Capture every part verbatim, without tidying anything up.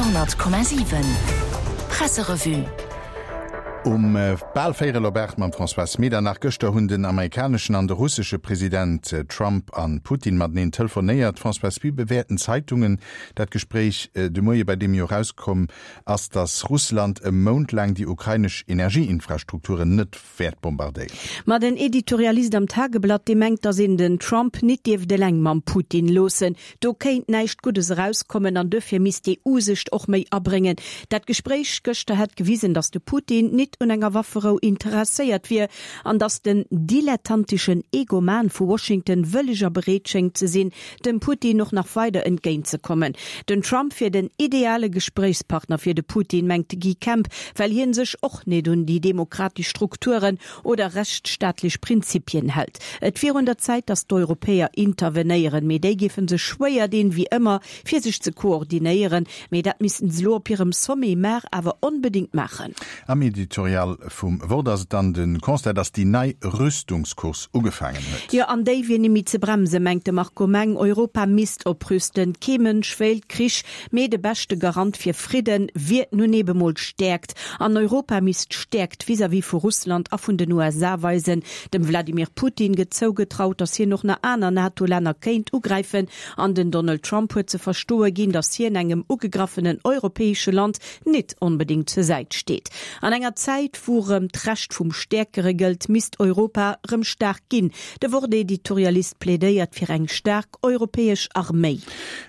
honnert Komma siwen Presserevue. Um bal véierel op aacht mam Françoise Medernach. Gëschter hunn den amerikaneschen an de russesche President Trump an Putin mateneen telefonéiert. Françoise, wéi bewäerten d'Zeitungen dat Gespréich de Moie, bei deem jo erauskomm ass, datt Russland e Mount laang déi ukrainesch Energieinfrastrukturen net wäert bombardéieren? Ma den Editorialist am Tageblatt, dee mengt, datt een den Trump nit dierft eleng mam Putin loossen. Do kéint näischt Guddes erauskommen an duerfir misst d'EU sech och méi abréngen. Dat Gespréich gëschter hätt gewisen, datt de Putin nit un enger Wafferou interesséiert wier an datt den dilettanteschen Egoman vu Washington wëlleg a bereet schéngt ze sinn, dem Putin och nach weider entgéint ze kommen. Den Trump wier den ideale Gespréichspartner fir de Putin, mengt de Guy Kemp, well hien sech och nit un déi demokratesch Strukturen oder rechtsstaatlech Prinzipien hält. Et wier un der Zäit, datt d'Europäer intervenéieren, mee déi géife sech schwéier dinn, wéi ëmmer, fir sech ze koordinéieren. Mee dat missten se elo op hirem Sommet mar awer onbedéngt maachen. Am Editorial vum Wort ass et dann de Constat, dass déi nei Rüstungscourse ugefaangen huet. Jo, an déi wier nimmi ze bremsen, mengt de Marco Meng. Europa misst oprüsten. Kee Mënsch wéilt Krich, mee de beschte Garant fir Fridden wier nun ebe mol Stäerkt. An Europa misst Stäerkt vis-à-vis vu Russland a vun den U S A weisen. Dem Wladimir Putin gëtt zougetraut, dass hien och nach aner NATO-Länner kéint ugräifen. An den Donald Trump huet ze verstoe ginn, dass hien engem ugegraffenen europäesche Land nit onbedéngt zur Säit steet. An enger Zäit, wou rëm d'Recht vum Stäerkere gëllt, misst Europa rëm staark ginn. De Wort-Editorialist plädéiert fir eng staark europäesch Arméi.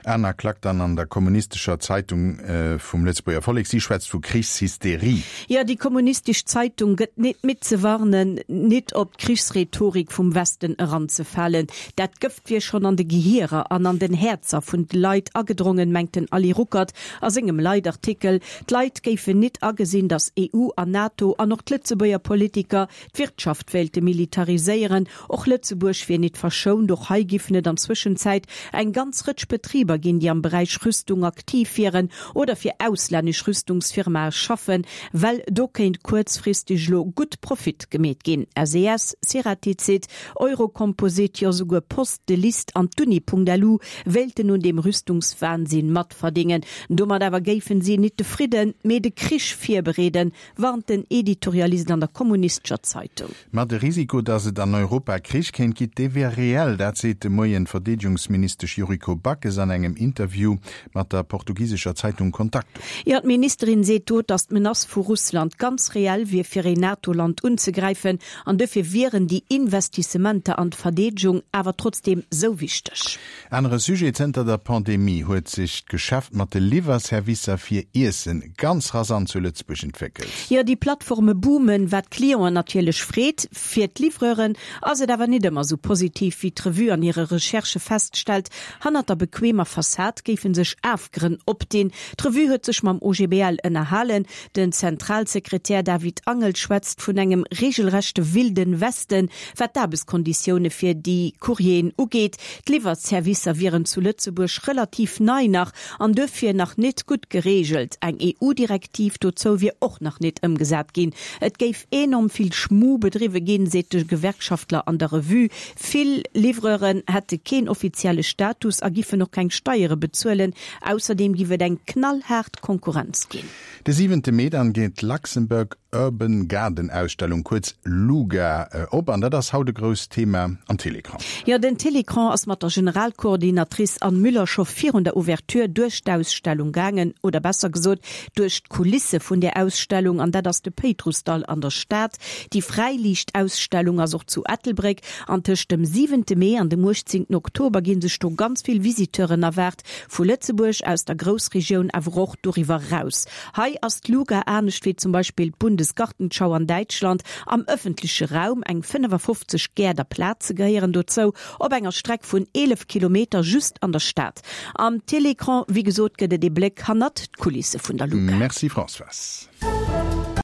Aner Klack dann an der Kommunistescher Zeitung vum Lëtzebuerger Vollek, si schwätzt vu Krichshysterie. Jo, déi kommunistesch Zeitung gëtt nit midd ze warnen, nit op d'Krichsrhetorik vum Westen eranzefalen. Dat Gëft wier schonn an de Gehierer an an den Häerzer vun de Leit agedrongen, mengt den Ali Ruckert a sengem Leitartikel. D'Leit géifen nit agesinn, datt E U an NATO an och d'Lëtzebuerger Politiker d'Wirtschaft wéilte militariséieren. Och Lëtzebuerg wier nit verschount, och hei giffen et an Zwëschenzäit eng ganz Rëtsch Betriber ginn, déi am Beräich Rüstung aktiv wieren oder fir auslännesch Rüstungsfirmae schaffen, well do kéint kuerzfristeg elo gutt Profit gemeet ginn. S E S, Ceratizit, Eurocomposite, jo souguer Post, de List an d'Uni.lu wéilten un deem Rüstungswahnsinn matverdingen. Domat awer géifen si nit de Fridden, mee de Krich virbereeden, warnt den Editorialist an der Kommunistescher Zeitung. Ma de Risiko, datt et an Europa Krich kéint ginn, dee wier reell. Dat seet de Moien d'Verdeedegungsministesch Yuriko Backes an engem Interview mat der portugisescher Zeitung Contacto. Jo, d'Ministerin seet do, datt d'Menace vu Russland ganz reell wier fir een NATO-Land unzegräifen an dofir wieren déi Investissementer an d'Verdeedegung awer trotzdeem sou wichteg. Anere Sujet, Zënter der Pandemie huet sech d'Geschäft mat de Liwwerservicer fir Iessen ganz rasant zu Lëtzebuerg entwéckelt. Jo, déi Plattforme boomen, wat d'Clienten natierlech freet. Fir d'Livreuren ass et awer net ëmmer sou positiv, wéi d'Revue an hire Recherchë feststellt. Hannert der bequemer Fassad géife sech Afgrënn opdinn. D'Revue huet sech mam O G B L ënnerhalen. Den Zentralsekretär David Angel schwätzt vun engem regelrechte Wilden Westen, wat d'Aarbechtskonditioune fir déi Courrieren ugeet. D'Liwwerservicer wieren zu Lëtzebuerg relativ nei nach an duerfir nach net gutt gereegelt. Eng E U-Direktiv dozou wier och nach net ëmgesat ginn. Et géif enorm vill Schmu bedriwwe ginn, seet de Gewerkschaftler an der Revue. Vill Livreuren hätte keen offizielle Status a giffen och keng Steiere bezuelen. Ausserdeem giff et eng knallhaart Konkurrenz ginn. De siwente Mee dann geet d'Luxembourg Urban Garden Ausstellung, kuerz LUGA, op an dat ass haut e grousst Thema am Télécran. Jo, den Télécran ass mat der Generalkoordinatrice Anne Müller scho virun der Ouverture duerch d'Ausstellung gaangen, oder besser gesot duerch d'Kulisse vun der Ausstellung, an dat ass de Péitrussdall an der Stad. Déi Fräiliichtausstellung ass och zu Ettelbréck an tëscht dem siwente Mee an dem uechtzéngten Oktober gi sech do ganz vill Visiteuren erwaart, vu Lëtzebuerg, aus der Groussregioun, awer och doriwwer eraus. Hei ass d'LUGA anescht wéi zum Beispill d'Bundesgartenschau an Däitschland am ëffentleche Raum, eng fënnefafofzeg Gäert a Plaze gehéieren dozou, op enger Streck vun eelef Kilometer just an der Stad. Am Télécran, wéi gesot, gëtt et ee Bléck hannert d'Kulisse vun der LUGA. Merci Françoise.